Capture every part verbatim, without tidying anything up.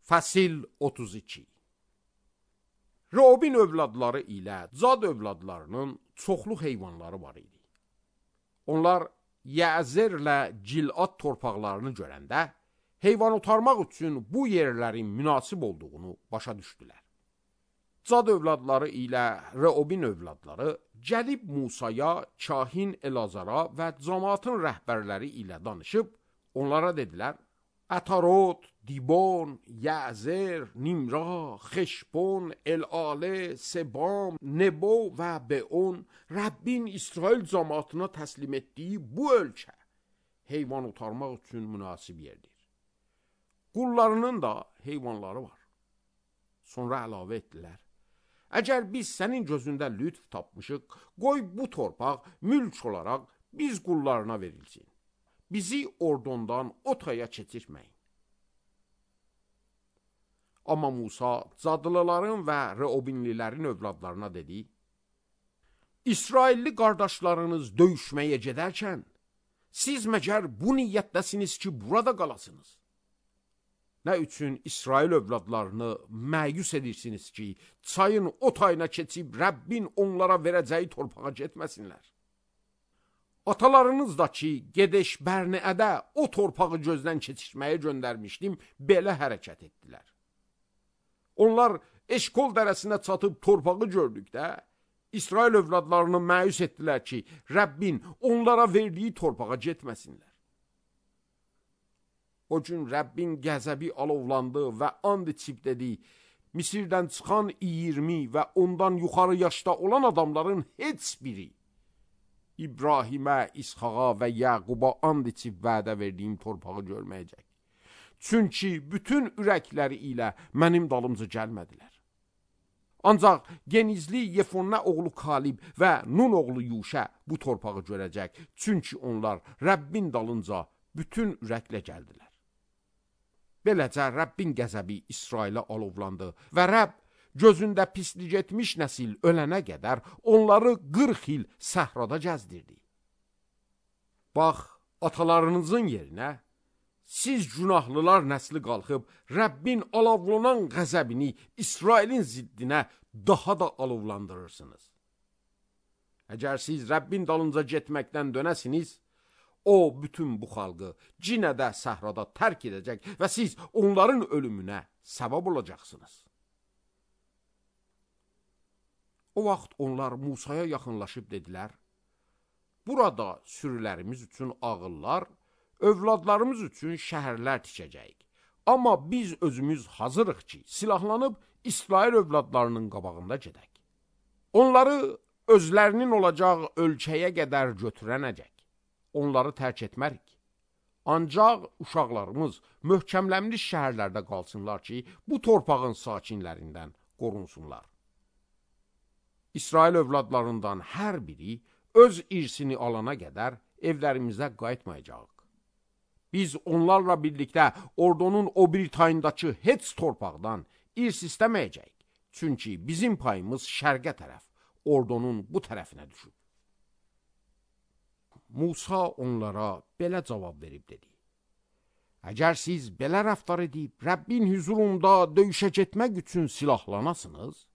Fəsil otuz iki. Robin övladları ilə Cad övladlarının çoxlu heyvanları var idi. Onlar Yəzərlə Cilad torpaqlarını görəndə heyvan otarmaq üçün bu yerlərin münasib olduğunu başa düşdülər. Cad övladları ilə Robin övladları gəlib Musaya, kahin Elazara və cəmaatın rəhbərləri ilə danışıb onlara dedilər: Ətarot, Dibon, Yəzər, Nimra, Xeşbon, El-Ale, Sebam, Nebo və Beon Rəbbin İsrail cəmaatına təslim etdiyi bu ölkə heyvan otarmaq üçün münasib yerdir. Qullarının da heyvanları var. Sonra əlavə etdilər: Əgər biz sənin gözündə lütf tapmışıq, qoy bu torpaq mülk olaraq biz qullarına verilsin. Bizi ordondan otaya keçirməyin. Amma Musa Cadlıların və Reobinlilərin övladlarına dedi: İsrailli qardaşlarınız döyüşməyə gedərkən, siz məgər bu niyyətdəsiniz ki, burada qalasınız? Nə üçün İsrail övladlarını məyus edirsiniz ki, çayın o tayına keçib Rəbbin onlara verəcəyi torpağa getməsinlər? Atalarınız da ki, Gedeş Bərniədə o torpağı gözdən keçirməyə göndərmişdim, belə hərəkət etdilər. Onlar Eşkol dərəsinə çatıb torpağı gördükdə, İsrail övladlarını məyus etdilər ki, Rəbbin onlara verdiyi torpağa getməsinlər. O gün Rəbbin qəzəbi alovlandı və and içib dedi: Misirdən çıxan iyirmi və ondan yuxarı yaşda olan adamların heç biri İbrahimə, İsxaqa və Yaquba and içib vədə verdiyim torpağı görməyəcək. Çünki bütün ürəkləri ilə mənim dalımca gəlmədilər. Ancaq genizli Yefonnə oğlu Kalib və Nun oğlu Yuşə bu torpağı görəcək. Çünki onlar Rəbbin dalınca bütün ürəklə gəldilər. Beləcə Rəbbin qəzəbi İsrailə alovlandı və Rəbb gözündə pislik etmiş nəsil ölənə qədər onları qırx il səhrada gəzdirdi. Bax, atalarınızın yerinə siz günahlılar nəsli qalxıb Rəbbin alovlanan qəzəbini İsrailin ziddinə daha da alovlandırırsınız. Əgər siz Rəbbin dalınca getməkdən dönəsiniz, o bütün bu xalqı cinədə səhrada tərk edəcək və siz onların ölümünə səbəb olacaqsınız. O vaxt onlar Musaya yaxınlaşıb dedilər: Burada sürülərimiz üçün ağıllar, övladlarımız üçün şəhərlər tikəcəyik. Amma biz özümüz hazırıq ki, silahlanıb İsrail övladlarının qabağında gedək. Onları özlərinin olacaq ölkəyə qədər götürənəcək. Onları tərk etmərik. Ancaq uşaqlarımız möhkəmlənmiş şəhərlərdə qalsınlar ki, bu torpağın sakinlərindən qorunsunlar. İsrail övladlarından hər biri öz irsini alana qədər evlərimizə qayıtmayacaq. Biz onlarla birlikdə ordunun o bir tayındakı heç torpaqdan irs istəməyəcək. Çünki bizim payımız şərqə tərəf, ordunun bu tərəfinə düşüb. Musa onlara belə cavab verib dedi: Əgər siz belə rəftar edib Rəbbin hüzurunda döyüşə getmək üçün silahlanasınız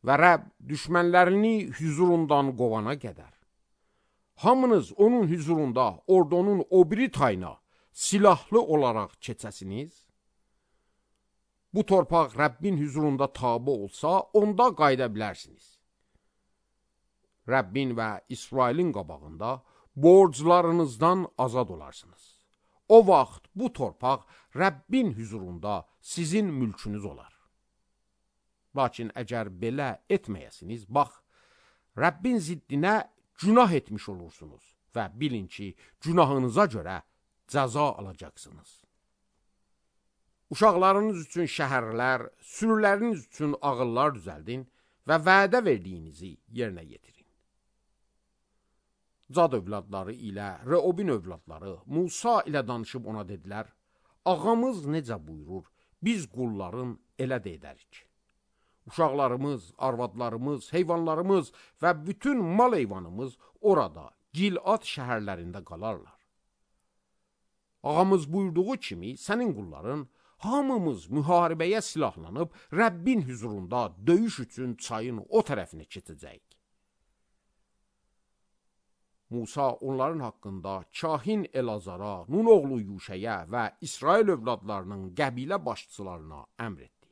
və Rəbb düşmənlərini hüzurundan qovana qədər, hamınız onun hüzurunda ordunun o biri tayına silahlı olaraq keçəsiniz, bu torpaq Rəbbin hüzurunda tabe olsa, onda qayıda bilərsiniz. Rəbbin və İsrailin qabağında borclarınızdan azad olarsınız. O vaxt bu torpaq Rəbbin hüzurunda sizin mülkünüz olar. Lakin əgər belə etməyəsiniz, bax, Rəbbin ziddinə günah etmiş olursunuz və bilin ki, günahınıza görə cəza alacaqsınız. Uşaqlarınız üçün şəhərlər, sürüləriniz üçün ağıllar düzəldin və vədə verdiyinizi yerinə yetirin. Cad övladları ilə Reobin övladları Musa ilə danışıb ona dedilər: Ağamız necə buyurur, biz qulların elə də edərik. Uşaqlarımız, arvadlarımız, heyvanlarımız və bütün mal heyvanımız orada, Gilad şəhərlərində qalarlar. Ağamız buyurduğu kimi sənin qulların hamımız müharibəyə silahlanıb Rəbbin hüzurunda döyüş üçün çayın o tərəfinə keçəcəyik. Musa onların haqqında kahin Elazara, Nun oğlu Yuşəyə və İsrail övladlarının qəbilə başçılarına əmr etdi.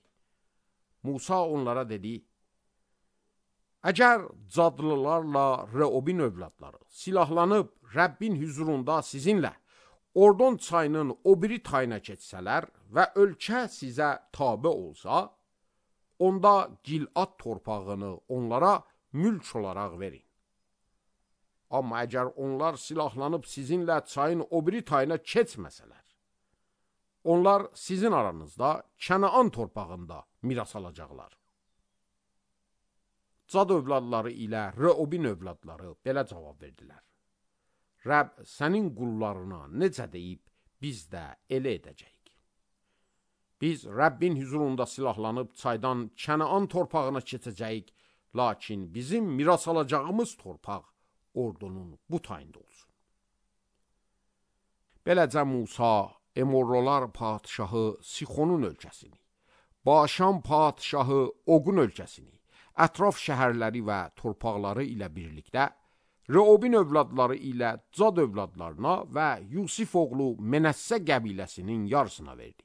Musa onlara dedi: Əgər cadlılarla Reobin övladları silahlanıb Rəbbin hüzurunda sizinlə Ordon çayının o biri tayına keçsələr və ölkə sizə tabe olsa, onda Gilad torpağını onlara mülk olaraq verin. Amma əgər onlar silahlanıb sizinlə çayın o biri tayına keçməsələr, onlar sizin aranızda Kənaan torpağında miras alacaqlar. Cad övladları ilə Reobin övladları belə cavab verdilər: Rəbb sənin qullarına necə deyib, biz də elə edəcəyik. Biz Rəbbin hüzurunda silahlanıb çaydan Kənaan torpağına keçəcəyik, lakin bizim miras alacağımız torpaq Ordonun bu tayında olsun. Beləcə Musa Emorlolar padşahı Sixonun ölkəsini, Başan padşahı Oqun ölkəsini, ətraf şəhərləri və torpaqları ilə birlikdə Reobin övladları ilə Cad övladlarına və Yusif oğlu Menəssə qəbiləsinin yarısına verdi.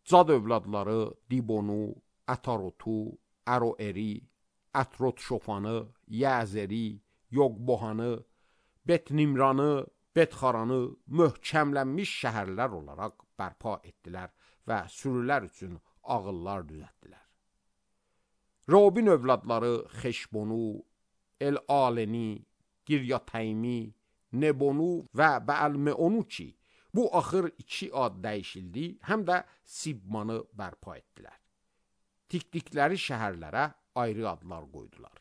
Cad övladları Dibonu, Ətarotu, Əroeri, Ətrot Şofanı, Yəzeri, Yogbohanı, Bet-Nimranı, Bet-Xaranı möhkəmlənmiş şəhərlər olaraq bərpa etdilər və sürülər üçün ağıllar düzəltdilər. Reobin övladları Xeşbonu, El-Aleni, Giryatəymi, Nebonu və Bəəl-Meonu ki, bu axır iki ad dəyişildi, həm də Sibmanı bərpa etdilər. Tikdikləri şəhərlərə ayrı adlar qoydular.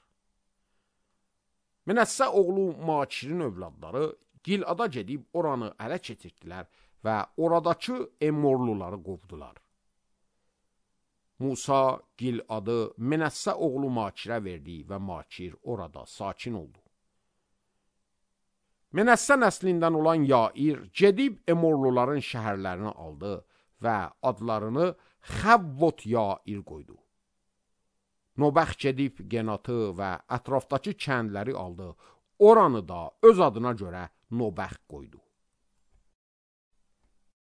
Menəssə oğlu Makirin övladları Gilada gedib oranı ələ keçirdilər və oradakı Emorluları qovdular. Musa Giladı Menəssə oğlu Makirə verdi və Makir orada sakin oldu. Menəssə nəslindən olan Yair gedib Emorluların şəhərlərini aldı və adlarını Xəvvot Yair qoydu. Nobəx gedib Genatı və ətrafdakı kəndləri aldı, oranı da öz adına görə Nobəx qoydu.